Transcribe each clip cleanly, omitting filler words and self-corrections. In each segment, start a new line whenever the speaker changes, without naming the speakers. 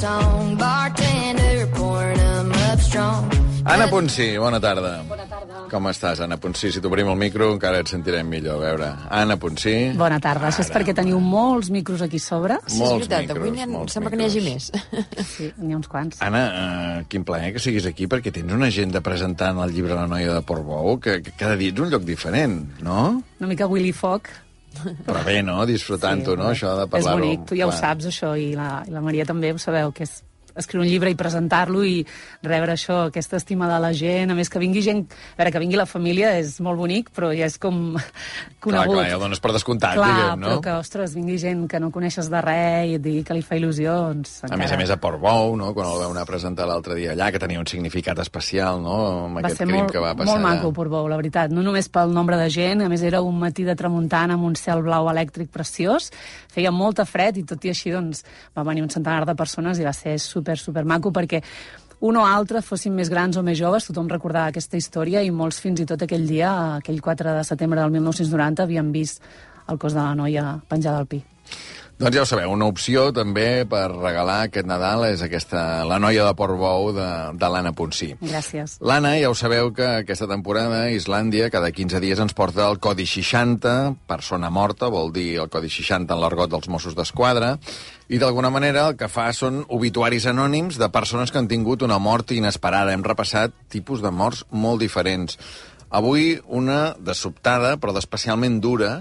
song. Bartender pouring 'em up strong.
Anna Ponsí, bona tarda.
Bona tarda.
Com estàs, Anna Ponsí? Si t'obrim el micro encara et sentirem millor. A veure, Anna Ponsí...
Bona tarda. Això és perquè teniu molts micros aquí a sobre.
Sí, és veritat, avui sembla que n'hi hagi més.
Sí, n'hi ha uns quants.
Anna, quin plaer que siguis aquí, perquè tens una agenda presentant el llibre La noia de Portbou, que cada dia ets un lloc diferent, no?
Una mica Willy Fogg.
Però bé, no? Disfrutant-ho, no? Això de parlar-ho...
És bonic, tu ja ho saps, això, i la Maria també ho sabeu, que és escriure un llibre i presentar-lo i rebre això, aquesta estima de la gent, a més que vingui gent, a veure, que vingui la família és molt bonic, però ja és com conegut.
Clar, ja el dones per descomptat,
clar,
diguem, no?
però que, ostres, vingui gent que no coneixes de res i et digui que li fa il·lusió, doncs...
A més a Portbou, no? Quan el vau anar a presentar l'altre dia allà, que tenia un significat especial, no?, amb aquest crim que va passar.
Va ser molt maco, Portbou, la veritat. No només pel nombre de gent, a més era un matí de tramuntana amb un cel blau elèctric preciós, feia molta fred i tot i així, doncs, va venir un centenar de persones i va ser super maco, perquè un o altre, fossin més grans o més joves, tothom recordava aquesta història i molts fins i tot aquell dia, aquell 4 de setembre del 1990, havien vist el cos de la noia penjada al pi.
Doncs ja ho sabeu, una opció també per regalar aquest Nadal és aquesta La noia de Portbou de l'Anna Ponsí.
Gràcies.
L'Anna, ja ho sabeu que aquesta temporada a Islàndia cada 15 dies ens porta el Codi 60, persona morta, vol dir el Codi 60 en l'argot dels Mossos d'Esquadra, i d'alguna manera el que fa són obituaris anònims de persones que han tingut una mort inesperada. Hem repassat tipus de morts molt diferents. Avui una de sobtada, però d'especialment dura,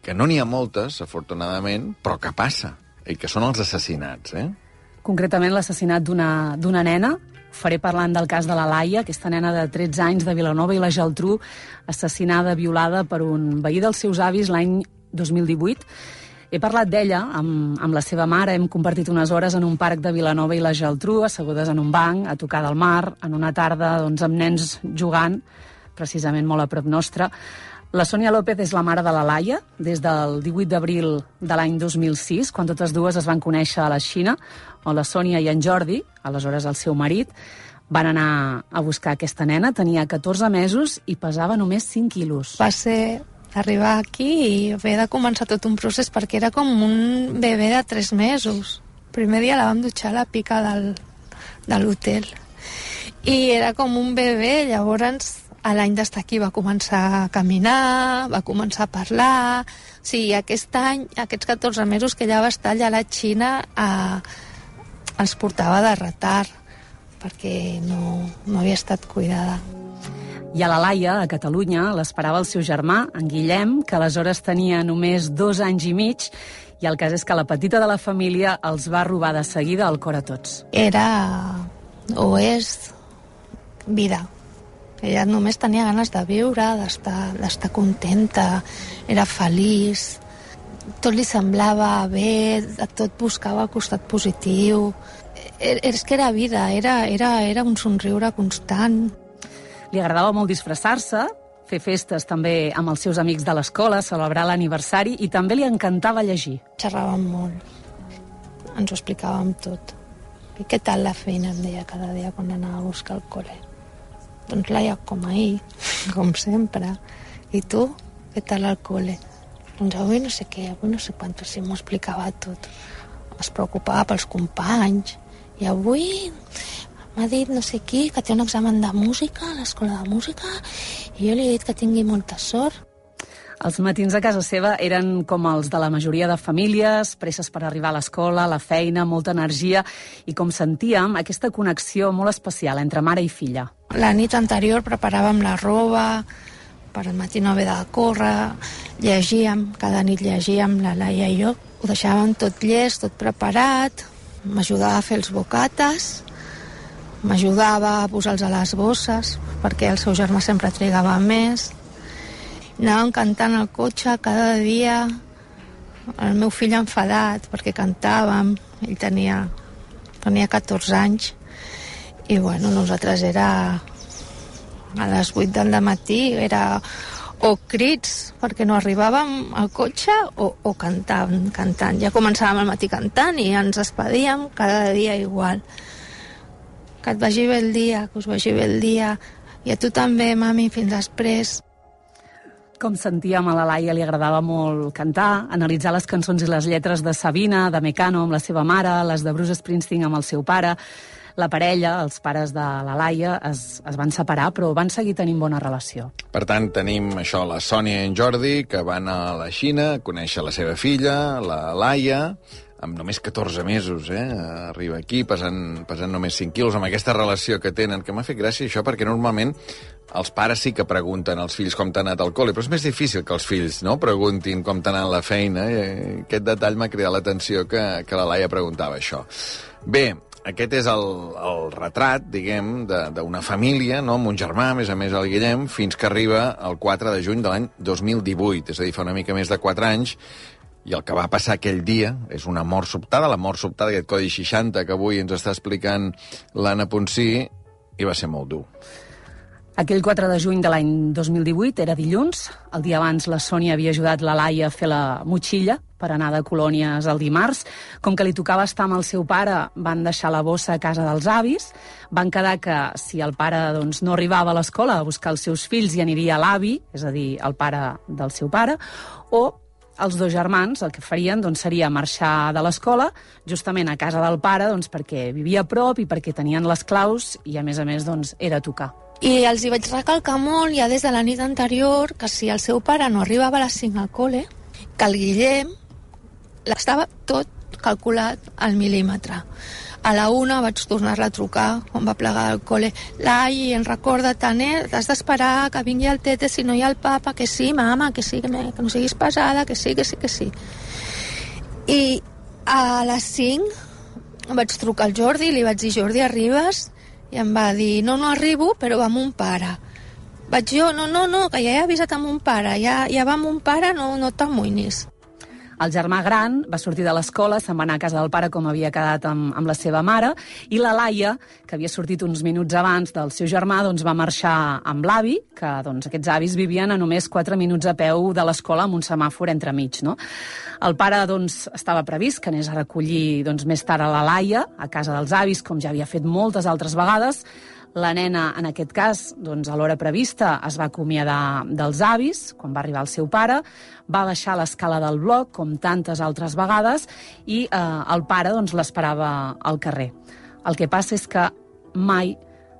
que no n'hi ha moltes, afortunadament, però que passa, i que són els assassinats,
Concretament l'assassinat d'una nena. Faré parlant del cas de la Laia, aquesta nena de 13 anys de Vilanova i la Geltrú, assassinada, violada per un veí dels seus avis l'any 2018. He parlat d'ella amb la seva mare, hem compartit unes hores en un parc de Vilanova i la Geltrú, assegudes en un banc, a tocar del mar, en una tarda doncs, amb nens jugant, precisament molt a prop nostre. La Sònia López és la mare de la Laia des del 18 d'abril de l'any 2006, quan totes dues es van conèixer a la Xina, on la Sònia i en Jordi, aleshores el seu marit, van anar a buscar aquesta nena. Tenia 14 mesos i pesava només 5 quilos.
Va ser arribar aquí i haver de començar tot un procés perquè era com un bebè de 3 mesos. El primer dia la vam dutxar a la pica de l'hotel i era com un bebè. Llavors a l'any d'estar aquí va començar a caminar, va començar a parlar. O sigui, aquest any, aquests 14 mesos que ella va estar allà a la Xina, els portava de retard, perquè no havia estat cuidada.
I a la Laia, a Catalunya, l'esperava el seu germà, en Guillem, que aleshores tenia només 2 anys i mig, i el cas és que la petita de la família els va robar de seguida el cor a tots.
Era, o és, vida. Ella només tenia ganes de viure, d'estar contenta, era feliç, tot li semblava bé, tot buscava el costat positiu. És que era vida, era un somriure constant.
Li agradava molt disfressar-se, fer festes també amb els seus amics de l'escola, celebrar l'aniversari, i també li encantava llegir.
Xerràvem molt, ens ho explicàvem tot. I què tal la feina, em deia cada dia quan anava a buscar el col·le. Doncs Laia, com ahir, com sempre. I tu, què tal al col·le? Doncs avui no sé què, avui no sé quant, si m'ho explicava tot. Es preocupava pels companys. I avui m'ha dit no sé qui que té un examen de música a l'escola de música i jo li he dit que tingui molta sort.
Els matins a casa seva eren com els de la majoria de famílies, presses per arribar a l'escola, a la feina, molta energia i, com sentíem, aquesta connexió molt especial entre mare i filla.
La nit anterior preparàvem la roba, per al matí no haver de córrer, llegíem, cada nit llegíem, la Laia i jo. Ho deixàvem tot llest, tot preparat, m'ajudava a fer els bocates, m'ajudava a posar-los a les bosses, perquè el seu germà sempre trigava més. Anàvem cantant al cotxe cada dia, el meu fill enfadat perquè cantàvem, ell tenia 14 anys, i bueno, nosaltres era a les 8 del matí, era o crits perquè no arribàvem al cotxe o cantant. Ja començàvem al matí cantant i ens despedíem cada dia igual. Que et vagi bé el dia, que us vagi bé el dia, i a tu també, mami, fins després.
Com sentíem, a la Laia li agradava molt cantar, analitzar les cançons i les lletres de Sabina, de Mecano amb la seva mare, les de Bruce Springsteen amb el seu pare. La parella, els pares de la Laia, es van separar, però van seguir tenint bona relació.
Per tant, tenim això, la Sònia i en Jordi, que van a la Xina a conèixer la seva filla, la Laia, amb només 14 mesos, arriba aquí pesant només 5 quilos, amb aquesta relació que tenen, que m'ha fet gràcia això, perquè normalment els pares sí que pregunten als fills com t'ha anat al col·le, però és més difícil que els fills no preguntin com t'ha anat la feina. Aquest detall m'ha cridat l'atenció que la Laia preguntava això. Bé, aquest és el retrat, diguem, d'una família, no? Amb un germà, a més el Guillem, fins que arriba el 4 de juny de l'any 2018, és a dir, fa una mica més de 4 anys, i el que va passar aquell dia és una mort sobtada, la mort sobtada, aquest codi 60 que avui ens està explicant l'Anna Ponsí, i va ser molt dur.
Aquell 4 de juny de l'any 2018 era dilluns. El dia abans la Sònia havia ajudat la Laia a fer la motxilla per anar de colònies el dimarts. Com que li tocava estar amb el seu pare, van deixar la bossa a casa dels avis. Van quedar que si el pare no arribava a l'escola a buscar els seus fills i aniria a l'avi, és a dir, el pare del seu pare, o els dos germans el que farien seria marxar de l'escola justament a casa del pare perquè vivia a prop i perquè tenien les claus i a més era a tocar.
I els hi vaig recalcar molt ja des de la nit anterior que si el seu pare no arribava a les 5 al col·le, que el Guillem estava tot calculat al mil·límetre. A la 1 vaig tornar-la a trucar quan va plegar al col·le. Lai, recorda tant, has d'esperar que vingui el tete si no hi ha el papa, que sí, mama, que sí, que no siguis pesada, que sí. I a les 5 vaig trucar al Jordi i li vaig dir, Jordi, arribes? I em va dir, no arribo, però va amb un pare. Vaig jo, no, que ja he avisat amb un pare, ja va amb un pare, no t'amoïnis.
El germà gran va sortir de l'escola, se'n va anar a casa del pare com havia quedat amb la seva mare, i la Laia, que havia sortit uns minuts abans del seu germà, va marxar amb l'avi, que aquests avis vivien a només 4 minuts a peu de l'escola amb un semàfor entremig. No? El pare estava previst que anés a recollir més tard a la Laia, a casa dels avis, com ja havia fet moltes altres vegades. La nena, en aquest cas, a l'hora prevista, es va acomiadar dels avis, quan va arribar el seu pare, va baixar l'escala del bloc, com tantes altres vegades, i el pare l'esperava al carrer. El que passa és que mai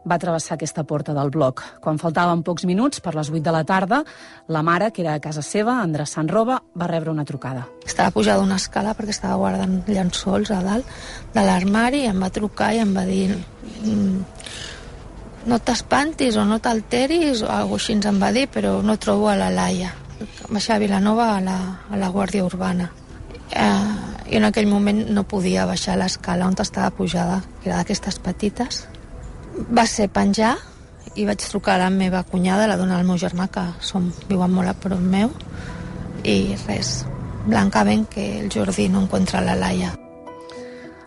va travessar aquesta porta del bloc. Quan faltaven pocs minuts, per les 8 de la tarda, la mare, que era a casa seva, endreçant roba, va rebre una trucada.
Estava pujada una escala perquè estava guardant llençols a dalt de l'armari, i em va trucar i em va dir... no t'espantis o no t'alteris, o alguna cosa així ens en va dir, però no trobo a la Laia. Baixar a Vilanova a la Guàrdia Urbana. I en aquell moment no podia baixar l'escala on estava pujada, que era d'aquestes petites. Va ser penjar i vaig trucar a la meva cunyada, la dona del meu germà, que viuen molt a prop meu, i res, blancament que el Jordi no encontra la Laia.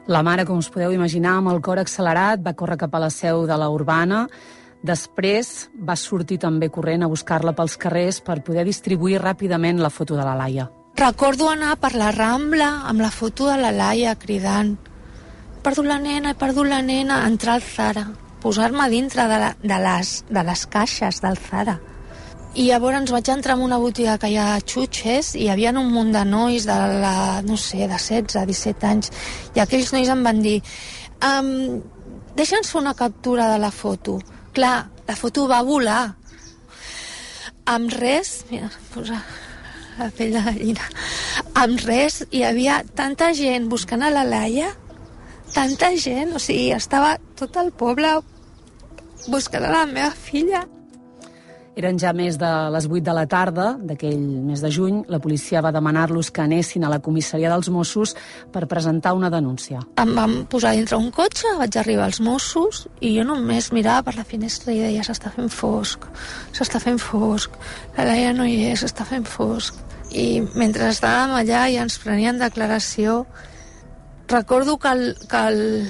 La mare, com us podeu imaginar, amb el cor accelerat, va córrer cap a la seu de la Urbana. Després va sortir també corrent a buscar-la pels carrers per poder distribuir ràpidament la foto de la Laia.
Recordo anar per la Rambla amb la foto de la Laia cridant he perdut la nena, entrar al Zara, posar-me dintre de les caixes del Zara. I llavors vaig entrar en una botiga que hi ha xutxes i hi havia un munt de nois de 16, 17 anys, i aquells nois em van dir deixa'ns fer una captura de la foto. Clar, la foto va volar. Amb res, mira, posa la pell de gallina, amb res hi havia tanta gent buscant a la Laia, tanta gent, o sigui, estava tot el poble buscant a la meva filla.
Eren ja més de les 8 de la tarda d'aquell mes de juny. La policia va demanar-los que anessin a la comissaria dels Mossos per presentar una denúncia.
Em vam posar dintre un cotxe, vaig arribar als Mossos i jo només mirava per la finestra i deia s'està fent fosc, la Laia no hi és, s'està fent fosc. I mentre estàvem allà i ens prenien declaració, recordo que el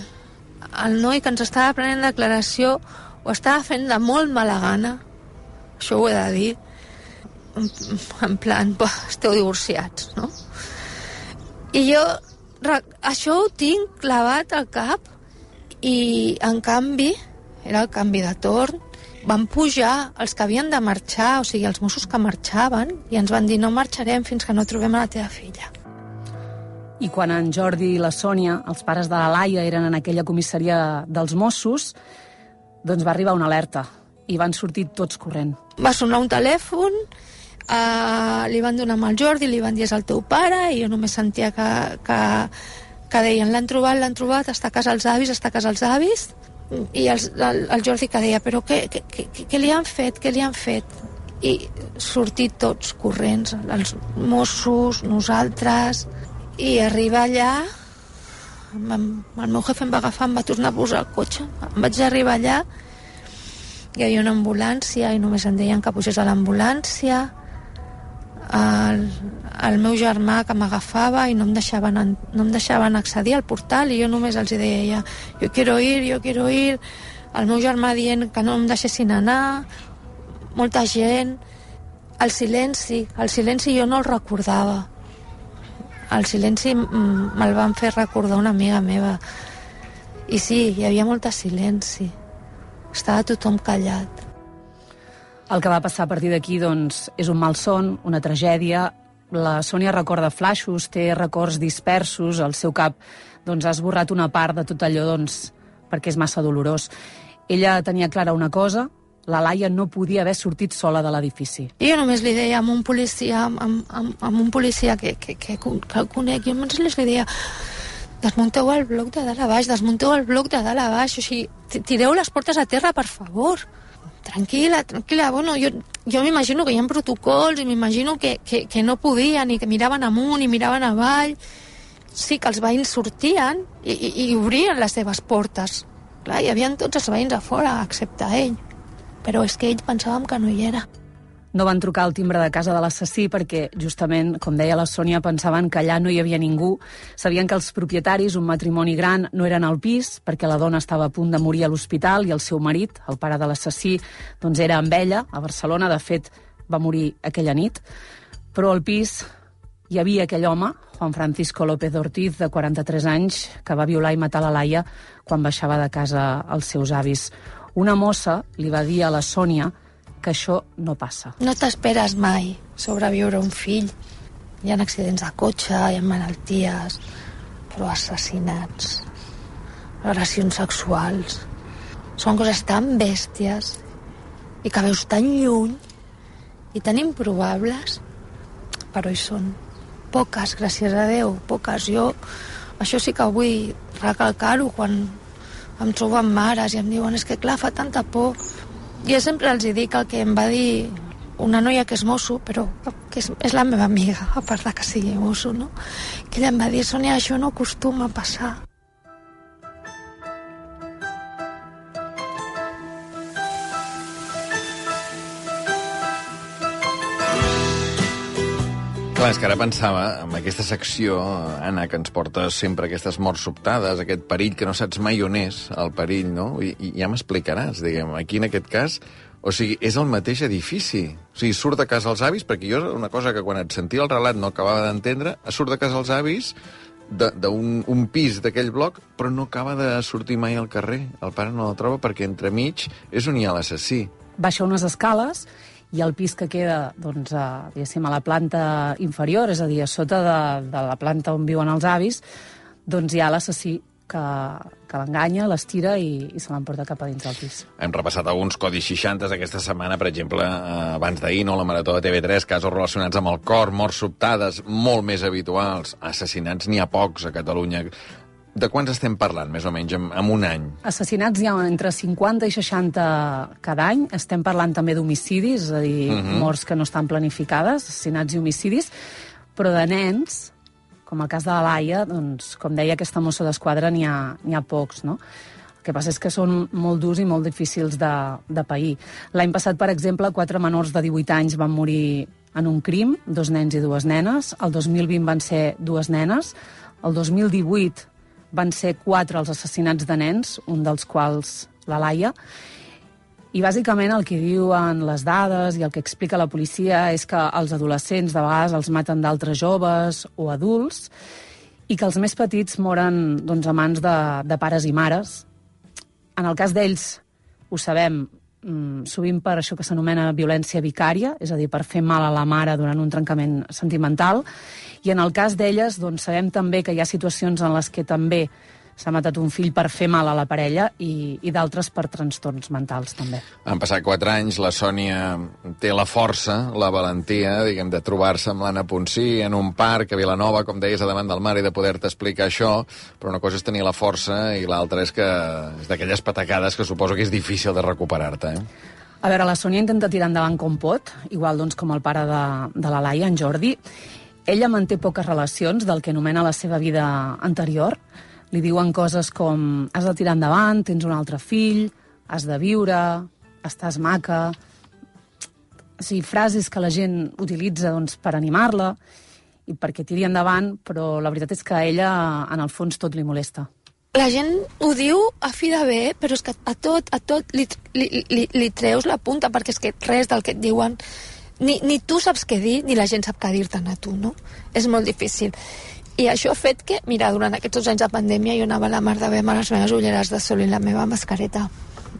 noi que ens estava prenent declaració ho estava fent de molt mala gana. Això ho he de dir, en plan, esteu divorciats, no? I jo això ho tinc clavat al cap, i en canvi, era el canvi de torn, van pujar els que havien de marxar, o sigui, els Mossos que marxaven, i ens van dir no marxarem fins que no trobem a la teva filla.
I quan en Jordi i la Sònia, els pares de la Laia, eren en aquella comissaria dels Mossos, doncs va arribar una alerta i van sortir tots corrent.
Va sonar un telèfon, li van donar amb el Jordi, li van dir és el teu pare, i jo només sentia que deien l'han trobat, està a casa els avis, i el Jordi que deia però què li han fet? I sortir tots corrents, els Mossos, nosaltres, i arribar allà, el meu jefe em va agafar, em va tornar a posar el cotxe, em vaig arribar allà, hi havia una ambulància i només em deien que pugés a l'ambulància, el meu germà que m'agafava i no em deixaven accedir al portal, i jo només els deia jo quiero ir, el meu germà dient que no em deixessin anar, molta gent, el silenci jo no el recordava, el silenci me'l van fer recordar una amiga meva, i sí, hi havia molt de silenci, estava tothom callat.
El que va passar a partir d'aquí, doncs, és un malson, una tragèdia. La Sònia recorda flaixos, té records dispersos, el seu cap doncs, ha esborrat una part de tot allò doncs, perquè és massa dolorós. Ella tenia clara una cosa, la Laia no podia haver sortit sola de l'edifici.
I jo només li deia a un policia, amb un policia que el conec, jo només li deia desmunteu el bloc de dalt a baix, o sigui, tireu les portes a terra, per favor. Tranquil·la, bueno, jo m'imagino que hi ha protocols i m'imagino que no podien i que miraven amunt i miraven avall. Sí que els veïns sortien i obrien les seves portes. Clar, hi havia tots els veïns a fora, excepte ell. Però és que ell pensàvem que no hi era.
No van trucar al timbre de casa de l'assassí perquè, justament, com deia la Sònia, pensaven que allà no hi havia ningú. Sabien que els propietaris, un matrimoni gran, no eren al pis perquè la dona estava a punt de morir a l'hospital i el seu marit, el pare de l'assassí, doncs era amb ella, a Barcelona. De fet, va morir aquella nit. Però al pis hi havia aquell home, Juan Francisco López Ortiz, de 43 anys, que va violar i matar la Laia quan baixava de casa els seus avis. Una mossa li va dir a la Sònia que això no passa.
No t'esperes mai sobreviure un fill. Hi ha accidents de cotxe, hi ha malalties, però assassinats, agressions sexuals, són coses tan bèsties i que veus tan lluny i tan improbables, però hi són. Poques, gràcies a Déu, poques. Jo això sí que vull recalcar-ho quan em trobo amb mares i em diuen és que clar, fa tanta por. Jo sempre els dic el que em va dir una noia que és mosso, però que és la meva amiga, a part de que sigui mosso, no? Que ella em va dir, Sònia, això no acostuma a passar.
Clar, és que ara pensava, amb aquesta secció, Anna, que ens porta sempre aquestes morts sobtades, aquest perill que no saps mai on és, el perill, no? I ja m'explicaràs, diguem, aquí en aquest cas, o sigui, és el mateix edifici. O sigui, surt de casa els avis, perquè jo una cosa que quan et sentia el relat no acabava d'entendre, surt de casa els avis d'un pis d'aquell bloc, però no acaba de sortir mai al carrer. El pare no la troba perquè entremig és on hi ha l'assassí.
Baixa unes escales i el pis que queda, doncs, diguéssim, a la planta inferior, és a dir, a sota de la planta on viuen els avis, doncs hi ha l'assassí que l'enganya, l'estira i se l'emporta cap a dins del pis.
Hem repassat alguns codis 60 aquesta setmana, per exemple, abans d'ahir, no? La Marató de TV3, casos relacionats amb el cor, morts sobtades, molt més habituals, assassinats n'hi ha pocs a Catalunya. De quants estem parlant, més o menys, en un any?
Assassinats hi ha entre 50 i 60 cada any. Estem parlant també d'homicidis, és a dir, morts que no estan planificades, assassinats i homicidis, però de nens, com el cas de la Laia, doncs, com deia aquesta mossa d'esquadra, n'hi ha pocs, no? El que passa és que són molt durs i molt difícils de pair. L'any passat, per exemple, 4 menors de 18 anys van morir en un crim, 2 nens i 2 nenes. El 2020 van ser 2 nenes. El 2018 van ser 4 els assassinats de nens, un dels quals la Laia. I bàsicament el que diuen les dades i el que explica la policia és que els adolescents de vegades els maten d'altres joves o adults i que els més petits moren doncs, a mans de pares i mares. En el cas d'ells, ho sabem, sovint per això que s'anomena violència vicària, és a dir, per fer mal a la mare durant un trencament sentimental, i en el cas d'elles doncs, sabem també que hi ha situacions en les que també s'ha matat un fill per fer mal a la parella i d'altres per trastorns mentals, també.
Han passat 4 anys, la Sònia té la força, la valentia, diguem, de trobar-se amb l'Anna Ponsí en un parc a Vilanova, com deies, a davant del mar, i de poder-te explicar això, però una cosa és tenir la força i l'altra és que és d'aquelles patacades que suposo que és difícil de recuperar-te,
A veure, la Sònia intenta tirar endavant com pot, igual doncs, com el pare de la Laia, en Jordi. Ella manté poques relacions del que anomena la seva vida anterior. Li diuen coses com has de tirar endavant, tens un altre fill, has de viure, estàs maca... O sigui, frases que la gent utilitza doncs, per animar-la i perquè tiri endavant, però la veritat és que a ella, en el fons, tot li molesta.
La gent ho diu a fi de bé, però és que a tot li treus la punta, perquè és que res del que et diuen... Ni tu saps què dir, ni la gent sap què dir-te'n a tu, no? És molt difícil. I això ha fet que, mira, durant aquests 2 anys de pandèmia jo anava a la mar de bé amb les meves ulleres de sol i la meva mascareta.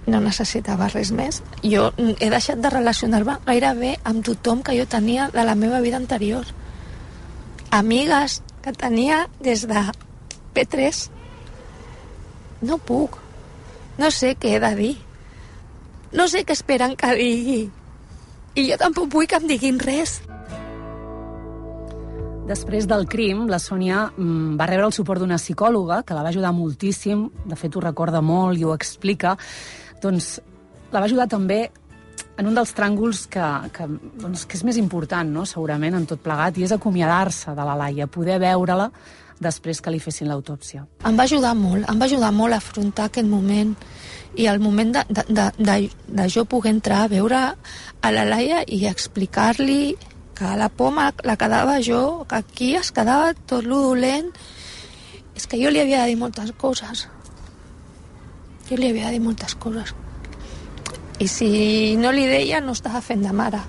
No necessitava res més. Jo he deixat de relacionar-me gairebé amb tothom que jo tenia de la meva vida anterior. Amigues que tenia des de P3. No puc. No sé què he de dir. No sé què esperen que digui. I jo tampoc vull que em diguin res.
Després del crim, la Sònia va rebre el suport d'una psicòloga que la va ajudar moltíssim, de fet ho recorda molt i ho explica, doncs la va ajudar també en un dels tràngols que és més important, no?, segurament, en tot plegat, i és acomiadar-se de la Laia, poder veure-la després que li fessin l'autòpsia.
Em va ajudar molt a afrontar aquest moment, i el moment de jo poder entrar a veure a la Laia i explicar-li que la por la quedava jo, que aquí es quedava tot lo dolent. És que jo li havia de dir moltes coses. I si no li deia, no estava fent de mare.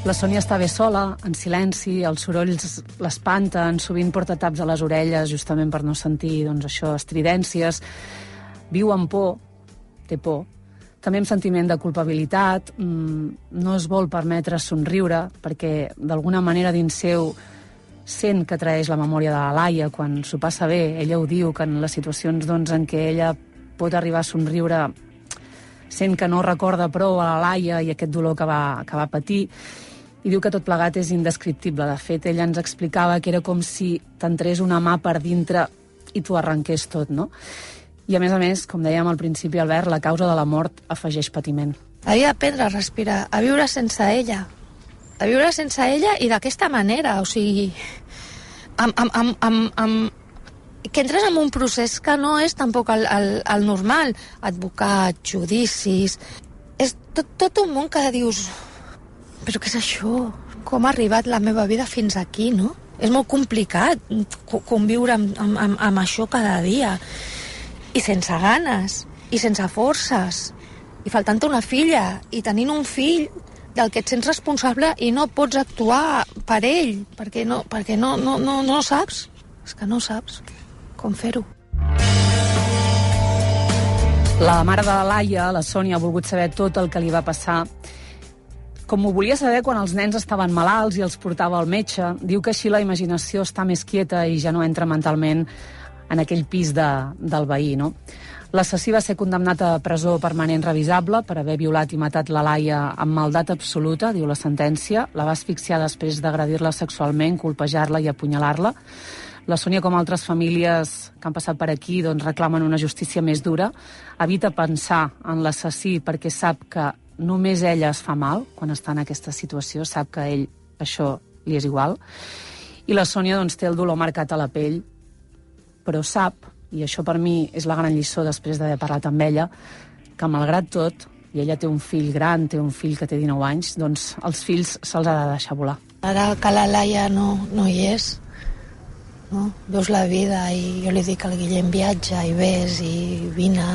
La Sònia està bé sola, en silenci, els sorolls l'espanten, sovint porta taps a les orelles justament per no sentir, doncs, això, estridències. Viu amb por, té por. També amb sentiment de culpabilitat, no es vol permetre somriure, perquè d'alguna manera dins seu sent que traeix la memòria de la Laia quan s'ho passa bé. Ella ho diu, que en les situacions doncs, en què ella pot arribar a somriure sent que no recorda prou a la Laia i aquest dolor que va patir, i diu que tot plegat és indescriptible. De fet, ella ens explicava que era com si t'entrés una mà per dintre i t'ho arrenqués tot, no? I a més, com dèiem al principi, Albert, la causa de la mort afegeix patiment.
Havia d'aprendre a respirar, a viure sense ella. A viure sense ella i d'aquesta manera, o sigui... que entres en un procés que no és tampoc el normal. Advocat, judicis... És tot un món que dius... Però què és això? Com ha arribat la meva vida fins aquí, no? És molt complicat conviure amb això cada dia. I sense ganes, i sense forces, i faltant-te una filla, i tenint un fill del que et sents responsable i no pots actuar per ell, perquè no saps. És que no saps com fer-ho.
La mare de la Laia, la Sònia, ha volgut saber tot el que li va passar, com ho volia saber quan els nens estaven malalts i els portava al metge. Diu que així la imaginació està més quieta i ja no entra mentalment en aquell pis del veí, no? L'assassí va ser condemnat a presó permanent revisable per haver violat i matat la Laia amb maldat absoluta, diu la sentència. La va asfixiar després d'agredir-la sexualment, colpejar-la i apunyalar-la. La Sònia, com altres famílies que han passat per aquí, doncs reclamen una justícia més dura. Evita pensar en l'assassí perquè sap que només ella es fa mal quan està en aquesta situació, sap que a ell això li és igual. I la Sònia doncs, té el dolor marcat a la pell, però sap, i això per mi és la gran lliçó després d'haver parlat amb ella, que malgrat tot, i ella té un fill gran, té un fill que té 19 anys, doncs els fills se'ls ha de deixar volar.
Ara que la Laia no hi és, no? Veus la vida i jo li dic al Guillem viatja i ves i vine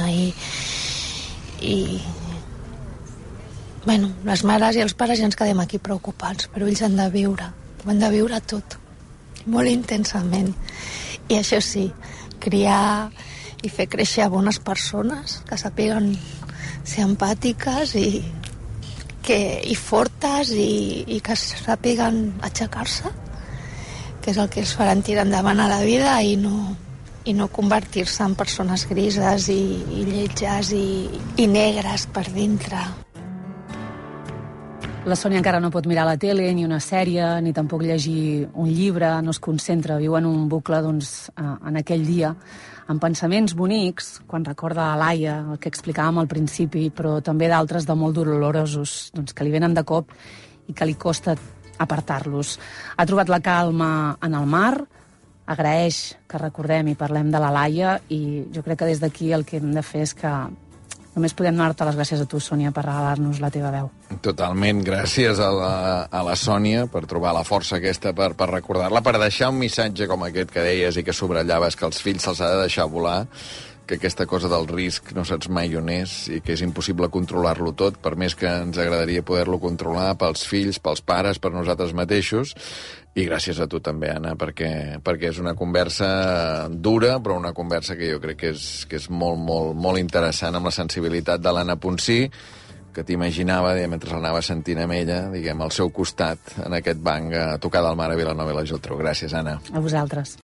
i... Bueno, les mares i els pares ja ens quedem aquí preocupats, però ells han de viure, ho han de viure tot, molt intensament. I això sí, criar i fer créixer bones persones que sàpiguen ser empàtiques i fortes i que sàpiguen aixecar-se, que és el que els faran tirar endavant a la vida i no convertir-se en persones grises i lletges i negres per dintre.
La Sònia encara no pot mirar la tele, ni una sèrie, ni tampoc llegir un llibre, no es concentra, viu en un bucle en aquell dia, amb pensaments bonics, quan recorda a Laia, el que explicàvem al principi, però també d'altres de molt dolorosos, que li venen de cop i que li costa apartar-los. Ha trobat la calma en el mar, agraeix que recordem i parlem de la Laia, i jo crec que des d'aquí el que hem de fer és que només podem donar-te les gràcies a tu, Sònia, per regalar-nos la teva veu.
Totalment. Gràcies a la Sònia per trobar la força aquesta per recordar-la, per deixar un missatge com aquest que deies i que subratllaves, que als fills se'ls ha de deixar volar, que aquesta cosa del risc no saps mai on és i que és impossible controlar-lo tot, per més que ens agradaria poder-lo controlar pels fills, pels pares, per nosaltres mateixos. I gràcies a tu també, Anna, perquè és una conversa dura, però una conversa que jo crec que és molt, molt, molt interessant, amb la sensibilitat de l'Anna Ponsí, que t'imaginava, mentre l'anava sentint amb ella, al seu costat, en aquest banc, a tocar del mar a Vilanova i la Geltrú. Gràcies, Anna.
A vosaltres.